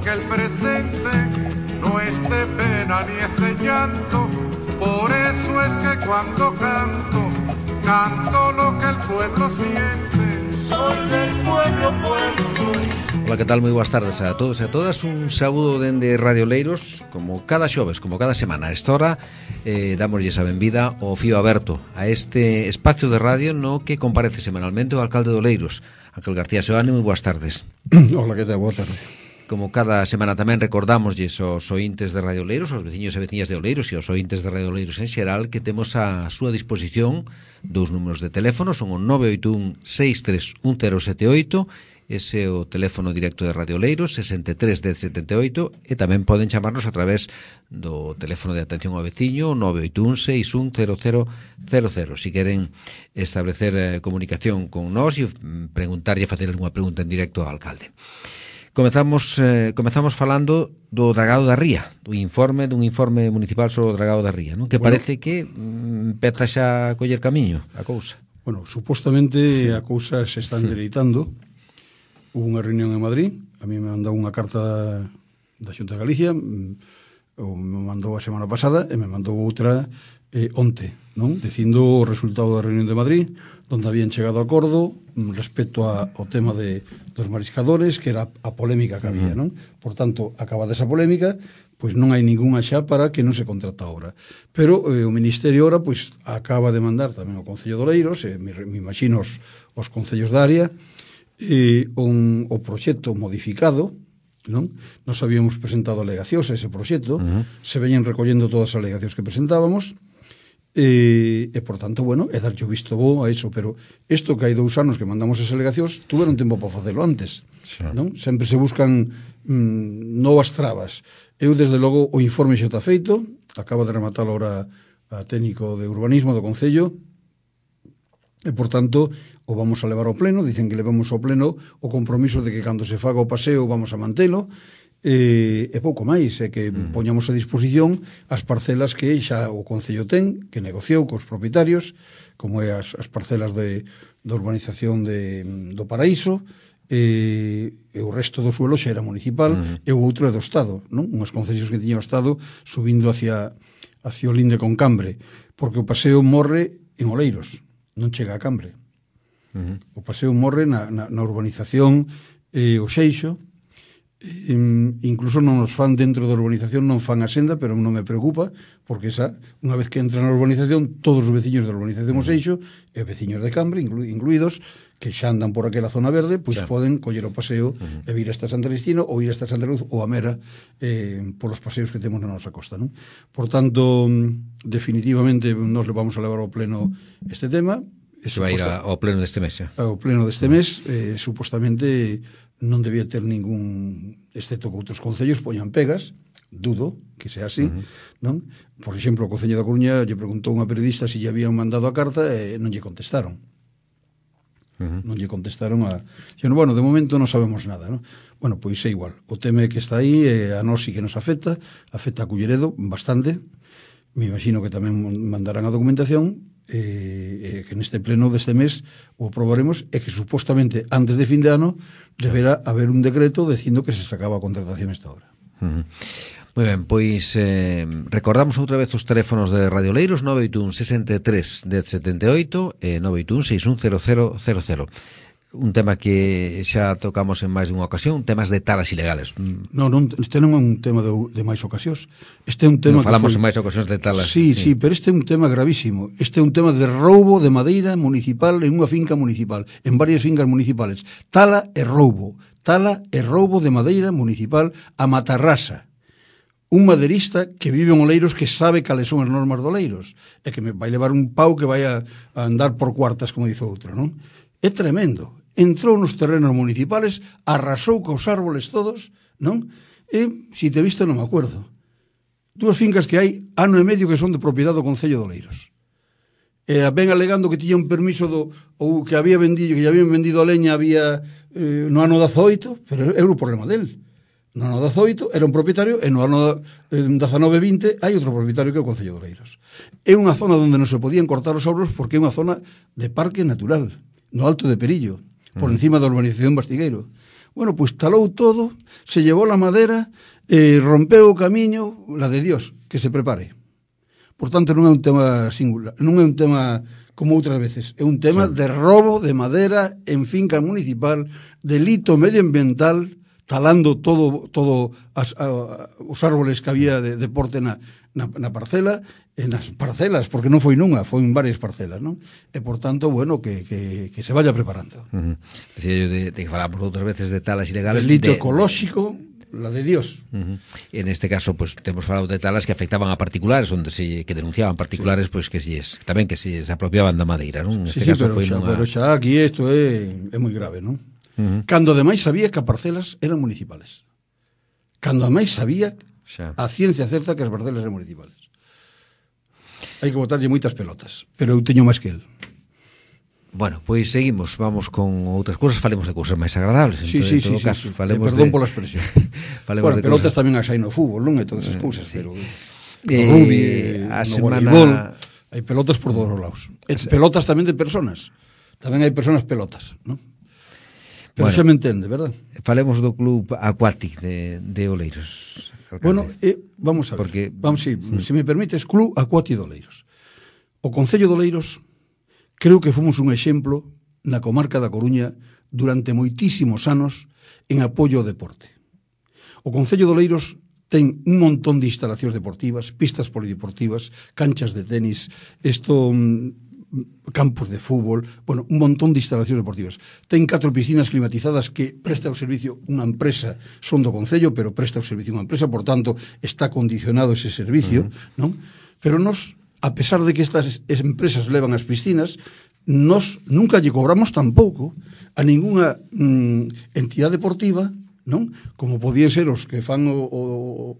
porque el presente no es de pena ni es de llanto. Por eso es que cuando canto, canto lo que el pueblo siente. Soy del pueblo, pueblo soy. Ola, que tal? Moi boas tardes a todos e a todas. Un saúdo dende Radio Oleiros. Como cada xoves, como cada semana a esta hora, dámoslles a benvida ao fío aberto a este espacio de radio no que comparece semanalmente o alcalde de Oleiros, Ángel García Seoane. Moi boas tardes. Ola, que tal? Boa tarde. Como cada semana tamén recordámoslles aos ointes de Radio Oleiros, aos veciños e veciñas de Oleiros e aos ointes de Radio Oleiros en xeral, que temos a súa disposición dous números de teléfono, son o 981 631078, ese é o teléfono directo de Radio Oleiros, 63 1078, e tamén poden chamarnos a través do teléfono de atención ao veciño, 981 610000. Si queren establecer comunicación con nós e preguntarlle, facer algunha pregunta en directo ao alcalde. Comezamos falando do dragado da Ría, dun informe municipal sobre o dragado da Ría, non? Que parece que empeza xa a coller camiño a cousa. Bueno, supostamente a cousa se está endereitando. Hubo unha reunión en Madrid, a mí me mandou unha carta da Xunta de Galicia, me mandou a semana pasada e me mandou outra onte, non? Dicindo o resultado da reunión de Madrid, donde habían chegado a acordo respecto ao tema dos mariscadores, que era a polémica que había, non? Por tanto, acabada esa polémica, pois non hai ningunha xa para que non se contrata a obra. Pero o Ministerio ahora pois acaba de mandar tamén ao Concello de Oleiros, me imagino os concellos da área, o proxecto modificado, non? Nos habíamos presentado alegacións a ese proxecto, se veñen recollendo todas as alegacións que presentábamos, e por tanto, bueno, é darlle o visto bo a eso, pero isto que hai 2 anos que mandamos as alegacións, tuveron tempo para facelo antes, non? Sempre se buscan novas trabas. Eu, desde logo, o informe xa está feito, acaba de rematar ahora a técnico de urbanismo do Concello, e, por tanto, o vamos a levar ao pleno. Dicen que levamos ao pleno o compromiso de que cando se faga o paseo vamos a mantelo, e pouco máis, é que poñamos a disposición as parcelas que xa o Concello ten, que negociou cos propietarios, como é as parcelas da urbanización do Paraíso, e o resto do suelo xa era municipal, e o outro é do Estado, non? Unhas concesións que tiña o Estado subindo hacia o linde con Cambre, porque o paseo morre en Oleiros, non chega a Cambre. O paseo morre na urbanización o Xeixo, incluso non nos fan dentro da urbanización, non fan a senda, pero non me preocupa, porque esa, unha vez que entra na urbanización, todos os veciños da urbanización o Xeixo e veciños de Cambre, incluídos, que xa andan por aquela zona verde, pois poden coller o paseo e vir hasta Santa Cristina ou ir hasta Santa Cruz ou a Mera polos paseos que temos na nosa costa, non? Por tanto, definitivamente nos le vamos a levar ao pleno este tema. Iso vai ir ao pleno deste mes, xa? Ao pleno deste mes, supostamente non debía ter ningún, excepto que outros concellos poñan pegas, dudo que sea así, non? Por exemplo, o Concello da Coruña lle preguntou unha periodista se lle habían mandado a carta e non lle contestaron. Non lle contestaron bueno, de momento non sabemos nada, non? Bueno, pois é igual, o tema que está aí a nós sí que nos afecta a Culleredo bastante. Me imagino que tamén mandarán a documentación, que neste pleno deste mes o aprobaremos, e que supostamente antes de fin de ano deberá haber un decreto dicindo que se sacaba a contratación esta hora. Moi ben, pois recordamos outra vez os teléfonos de Radio Oleiros, 981 63 1078 e 981 610000. Un tema que xa tocamos en máis dunha ocasión, temas de talas ilegales. Non, este non é un tema de máis ocasións. Este é un tema que falamos en máis ocasións de talas. Sí, pero este é un tema gravísimo. Este é un tema de roubo de madeira municipal en unha finca municipal, en varias fincas municipales. Tala e roubo de madeira municipal a matarrasa. Un maderista que vive en Oleiros, que sabe cales son as normas de Oleiros, e que me vai levar un pau que vai a andar por cuartas, como dice outro, non? É tremendo. Entrou nos terrenos municipales, arrasou cos árboles todos, non? E, se te visto, non me acuerdo. 2 fincas que hai, ano e medio, que son de propiedade do Concello de Oleiros. E ven alegando que tiña un permiso ou que había vendido, que lle habían vendido a leña no ano 18, pero é o problema del. No ano 18 era un propietario, e no ano 19-20 hai outro propietario que é o Concello de Oleiros. É unha zona onde non se podían cortar os arbres porque é unha zona de parque natural, no Alto de Perillo, por encima da urbanización Bastigueiro. Bueno, pois talou todo, se llevou la madera, rompeu o camiño, la de Dios, que se prepare. Por tanto, non é un tema singular, non é un tema como outras veces, é un tema de robo de madera en finca municipal, delito medioambiental, talando todo os árboles que había de porte na parcela, nas parcelas, porque non foi nunha, foi en varias parcelas, non? E, por tanto, bueno, que se vaya preparando. Decía yo de que falamos outras veces de talas ilegales. Delito ecolóxico, la de Dios. En este caso, pues temos falado de talas que afectaban a particulares, onde que denunciaban particulares, pues que tamén que se apropiaban da madeira, non? Neste caso pero xa aquí isto é moi grave, non? Cando ademais sabía que as parcelas eran municipales. Cando ademais sabía a ciencia certa que as parcelas eran municipales. Hai que botarlle moitas pelotas, pero eu teño máis que el. Bueno, pois seguimos, vamos con outras cousas, falemos de cousas máis agradables. Sí. Perdón pola expresión. Bueno, pelotas tamén as hai no fútbol, non? E todas esas cousas, pero no rugby, no voleibol, hai pelotas por todos os lados. Pelotas tamén de personas. Tamén hai personas pelotas, non? Pero xa me entende, verdad? Falemos do club Aquatic de Oleiros. Alcalde. Bueno, vamos a ver. Se me permites, Club Aquatic de Oleiros. O Concello de Oleiros creo que fomos un exemplo na comarca da Coruña durante moitísimos anos en apoio ao deporte. O Concello de Oleiros ten un montón de instalacións deportivas, pistas polideportivas, canchas de tenis, campos de fútbol, bueno, un montón de instalacións deportivas. Ten 4 piscinas climatizadas que presta o servicio unha empresa, son do Concello, pero presta o servicio unha empresa, por tanto, está condicionado ese servicio, non? Pero nos, a pesar de que estas empresas levan as piscinas, nos nunca lle cobramos tampouco a ningunha entidade deportiva, non? Como podían ser os que fan o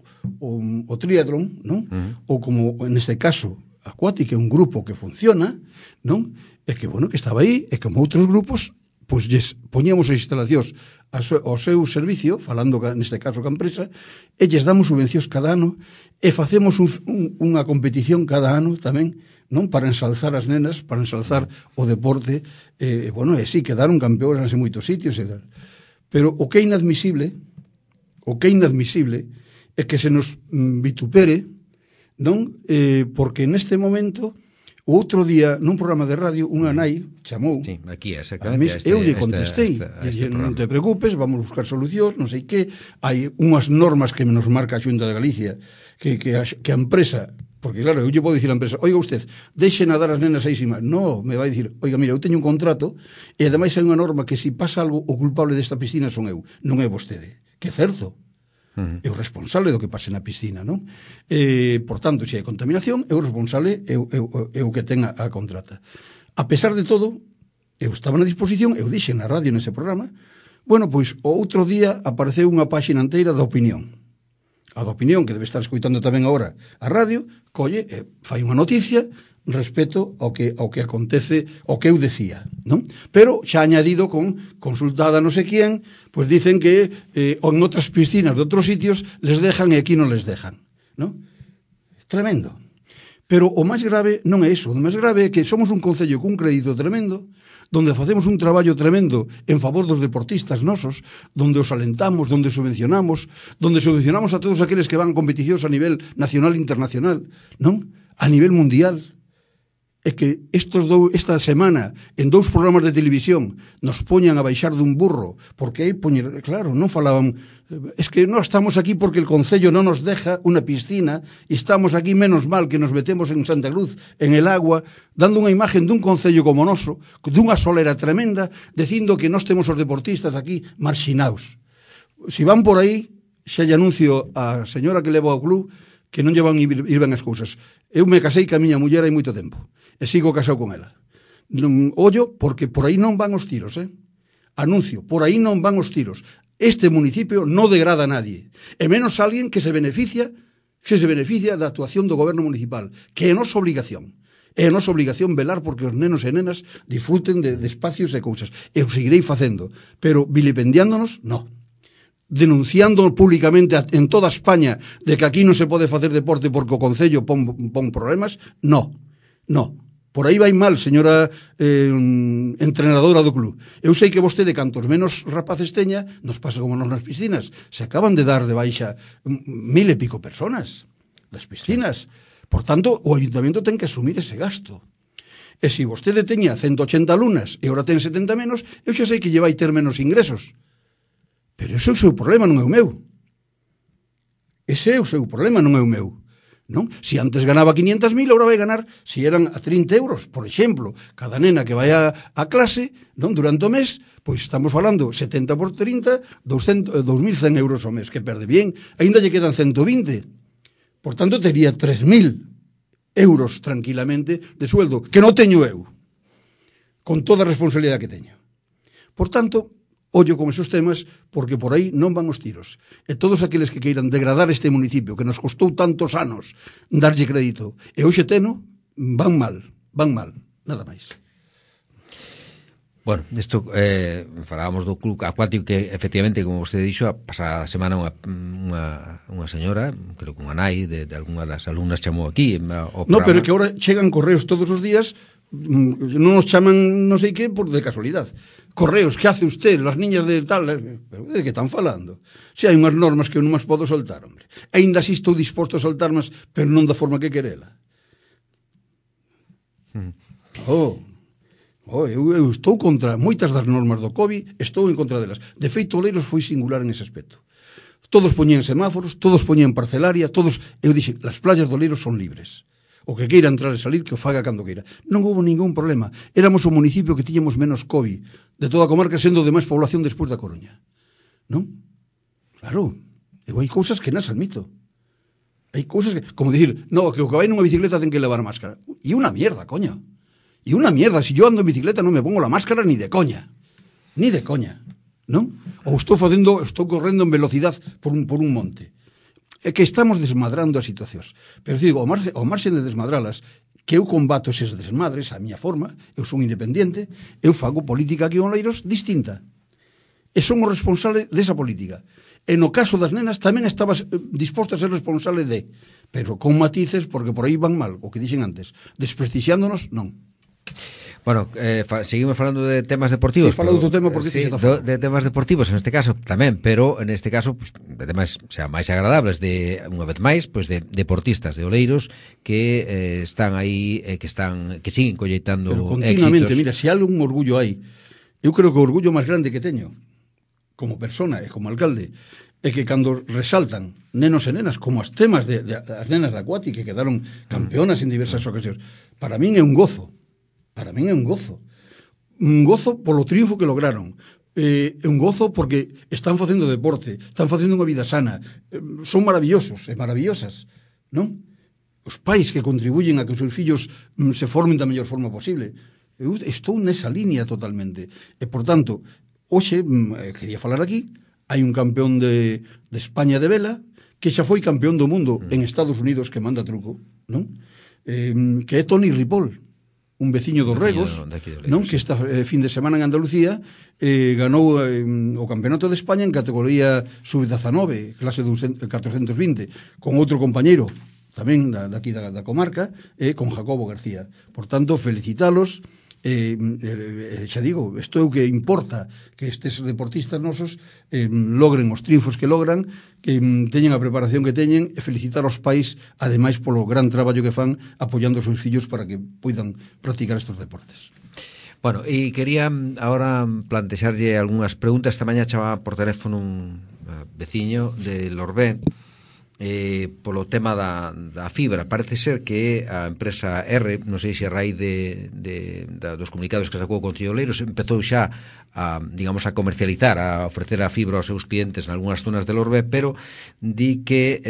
triatlón, non? Ou como, neste caso, Aquatic, que é un grupo que funciona, non? E que, bueno, que estaba aí, e como outros grupos, pois lles poñíamos as instalacións ao seu servicio, falando neste caso ca empresa, e lles damos subvencións cada ano, e facemos unha competición cada ano tamén, non? Para ensalzar as nenas, para ensalzar o deporte, bueno, e sí, quedaron campeonas en moitos sitios, e tal. Pero o que é inadmisible é que se nos vitupere, non? Porque neste momento, o outro día, nun programa de radio, unha nai chamou. Sí, aquí, exactamente. Eu lle contestei, non te preocupes, vamos buscar solucións, non sei que, hai unhas normas que nos marca a Xunta de Galicia, que a empresa, porque claro, eu lle podo dicir a empresa, oiga usted, deixe nadar as nenas aí sin máis. No, me vai dicir, oiga, mira, eu teño un contrato, e ademais hai unha norma que se pasa algo, o culpable desta piscina son eu, non é vostede. Que é certo. É o responsable do que pase na piscina, non? Por tanto, se hai contaminación, é o responsable, é o que ten a contrata. A pesar de todo, eu estaba na disposición, eu dixen na radio nese programa, bueno, pois o outro día apareceu unha páxina inteira da Opinión. A da Opinión, que debe estar escoitando tamén agora a radio, colle, fai unha noticia respecto ao que acontece, ao que eu decía, non? Pero xa añadido con consultada non sei quién, pois dicen que en outras piscinas de outros sitios les dejan e aquí non les dejan, non? Tremendo. Pero o máis grave non é iso, o máis grave é que somos un concello cun crédito tremendo, donde facemos un traballo tremendo en favor dos deportistas nosos, donde os alentamos, donde subvencionamos a todos aqueles que van a competicións a nivel nacional e internacional, non? A nivel mundial. É que esta semana en 2 programas de televisión nos poñan a baixar dun burro, porque aí poñer, claro, non falaban, es que non estamos aquí porque el Concello non nos deja unha piscina e estamos aquí menos mal que nos metemos en Santa Cruz, en el agua, dando unha imagen dun Concello como noso, dunha solera tremenda, dicindo que nós temos os deportistas aquí marxinaos. Si van por aí, xa lle anuncio a señora que leva ao club que non lle van ir ben as cousas. Eu me casei ca miña muller hai moito tempo e sigo casado con ela. Ollo, porque por aí non van os tiros, Anuncio, por aí non van os tiros. Este municipio non degrada a nadie, e menos alguén que se beneficia da actuación do goberno municipal, que é a nosa obligación. É a nosa obligación velar porque os nenos e nenas disfruten de espacios e cousas. Eu seguirei facendo, pero vilipendiándonos, non. Denunciando públicamente en toda España de que aquí non se pode facer deporte porque o Concello pon problemas, non. Por aí vai mal, señora entrenadora do club. Eu sei que vostede, cantos menos rapaces teña, nos pasa como nos nas piscinas. Se acaban de dar de baixa 1000 e pico personas das piscinas. Por tanto, o ayuntamiento ten que asumir ese gasto. E se vostede teña 180 alumnas e ora ten 70 menos, eu xa sei que lle vai ter menos ingresos. Pero ese é o seu problema, non é o meu. Ese é o seu problema, non é o meu. Non? Si antes ganaba 500.000, agora vai ganar, si eran a 30 euros, por exemplo, cada nena que vai a clase, non, durante o mes, pois estamos falando 70 por 30, 2.100 euros ao mes, que perde bien, ainda lle quedan 120. Por tanto, tería 3.000 euros tranquilamente de sueldo, que non teño eu, con toda a responsabilidade que teño. Por tanto, ollo con esos temas, porque por aí non van os tiros. E todos aqueles que queiran degradar este municipio, que nos costou tantos anos darlle crédito, e hoxe teno, van mal, nada máis. Bueno, isto falábamos do club acuático que efectivamente, como vostede dixo, a pasada semana unha señora, creo que unha nai de algunha das alumnas chamou aquí ao programa. No, pero que agora chegan correos todos os días, non nos chaman non sei que por de casualidad. Correos, que hace usted, las niñas de tal, pero de que están falando? Se hai unhas normas que eu non as podo soltar, hombre. Ainda así estou disposto a soltarmas, pero non da forma que querela. Eu estou contra moitas das normas do COVID, estou en contra delas. De feito, Oleiros foi singular en ese aspecto. Todos poñían semáforos, todos poñían parcelaria, todos... Eu dixen, las playas de Oleiros son libres. O que queira entrar e salir, que o faga cando queira. Non houve ningún problema. Éramos o municipio que tiñamos menos COVID de toda a comarca, sendo de máis población despois da Coruña. Non? Claro. Eu hai cousas que nas admito. Hai cousas que... Como dicir, no, que o que vai nunha bicicleta ten que levar máscara. E unha mierda, coño. E unha mierda. Si yo ando en bicicleta non me pongo la máscara ni de coña. Ni de coña. Non? Ou estou correndo en velocidade por un monte. É que estamos desmadrando as situacións. Pero digo, ao marxen de desmadralas, que eu combato eses desmadres a miña forma, eu son independente, eu fago política aquí en Oleiros distinta. E son o responsable desa política. E no caso das nenas tamén estaba disposto a ser responsable de, pero con matices, porque por aí van mal, o que dixen antes. Desprestixiándonos, non. Bueno, seguimos falando de temas deportivos. Sí, falando do tema porque sí, de temas deportivos en este caso tamén, pero en este caso pues, de temas xa máis agradables de unha vez máis, pues de deportistas de Oleiros que están aí que siguen colleitando continuamente, éxitos. Mira, se algún orgullo hai, eu creo que o orgullo máis grande que teño como persona e como alcalde é que cando resaltan nenos e nenas como as temas de as nenas da Acuati que quedaron campeonas en diversas ocasións, para min é un gozo. Para min é un gozo. Un gozo polo triunfo que lograron. É un gozo porque están facendo deporte, están facendo unha vida sana. Son maravillosos e maravillosas, non? Os pais que contribuyen a que os seus fillos se formen da mellor forma posible. Eu estou nesa línea totalmente. E, por tanto, hoxe, quería falar aquí, hai un campeón de España de vela que xa foi campeón do mundo en Estados Unidos que manda truco, non? Que é Toni Ripoll, un veciño dos Regos, non, que esta fin de semana en Andalucía ganou o Campeonato de España en categoría sub-19, clase 420, con outro compañeiro tamén daqui da comarca, con Jacobo García. Por tanto, felicitalos. Xa digo, isto é o que importa, que estes deportistas nosos logren os triunfos que logran, que teñen a preparación que teñen, e felicitar aos pais ademais polo gran traballo que fan apoiando os seus fillos para que poidan practicar estes deportes. Bueno, e quería ahora plantexarlle algunhas preguntas. Esta mañá chamaba por teléfono un veciño de Lorbé polo tema da fibra. Parece ser que a empresa R, non sei se a raíz dos comunicados que sacou o Concello de Oleiros, empezou xa a comercializar, a ofrecer a fibra aos seus clientes en algunhas zonas de Lorbé, pero di que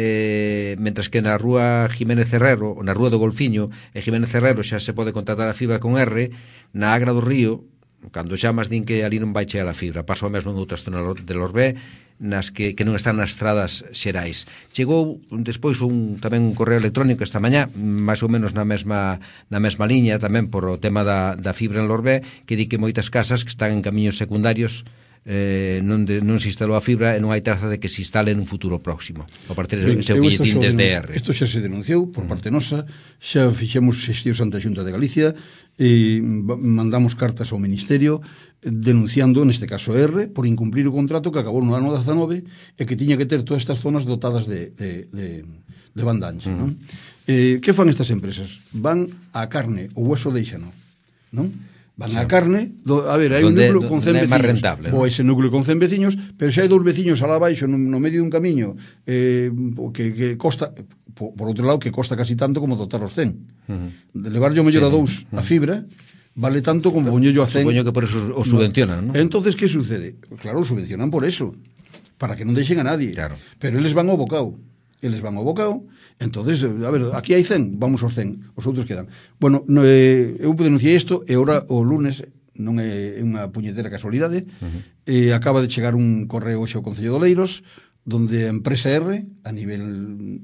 mentres que na rúa Jiménez Herrero, na rúa do Golfiño e Jiménez Herrero xa se pode contratar a fibra con R, na Agra do Río, cando chamas din que ali non vai chegar a fibra. Pasou mesmo en outras zonas de Lorbé, nas que non están nas estradas xerais. Chegou despois tamén un correo electrónico esta mañá, máis ou menos na mesma liña, tamén por o tema da fibra en Lorbé, que di que moitas casas que están en camiños secundarios non se instalou a fibra e non hai traza de que se instale nun futuro próximo. A partir de ese Isto billetín desde R. Isto xa se denunciou por parte nosa, xa fixemos xestións ante a Xunta de Galicia e mandamos cartas ao Ministerio denunciando, neste caso R, por incumplir o contrato que acabou no ano 19 e que tiña que ter todas estas zonas dotadas de banda ancha. Non? Que fan estas empresas? Van a carne, o hueso deixano, non? Van a carne, a ver, hai un núcleo con 100 veciños, rentable, ou ese núcleo con 100 veciños, pero xa hai 2 veciños alá abaixo no medio dun camiño que costa, por outro lado, que costa casi tanto como dotar os 100. De levarlle o mellor a 2 a fibra vale tanto como poñello a 100. Supoño que por eso o subvencionan, non? Entonces, que sucede? Claro, o subvencionan por eso, para que non deixen a nadie. Claro. Pero eles van ao bocao. Entonces, a ver, aquí hai 100, vamos aos 100, os outros quedan. Bueno, eu denunciei isto e ora o lunes, non é unha puñetera casualidade, acaba de chegar un correo hoxe ao Concello de Oleiros, donde a empresa R, a nivel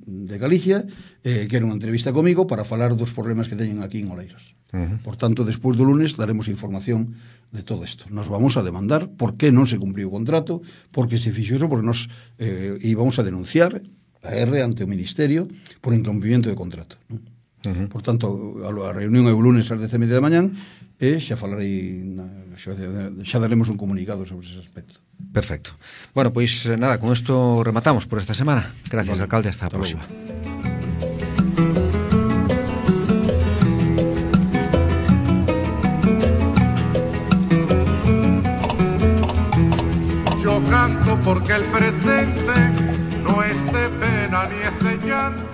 de Galicia, quere unha entrevista comigo para falar dos problemas que teñen aquí en Oleiros. Por tanto, despois do lunes daremos información de todo isto. Nos vamos a demandar por que non se cumpriu o contrato, porque se fixo eso, porque nos íbamos a denunciar a R ante o Ministerio por incumprimento de contrato. Por tanto, a reunión é o lunes ás 10:30 da mañán e xa falarei, xa daremos un comunicado sobre ese aspecto. Perfecto. Bueno, pois nada, con isto rematamos por esta semana. Gracias, vale, alcalde, hasta a próxima. Yo canto porque el presente no es de pena ni es de llanto.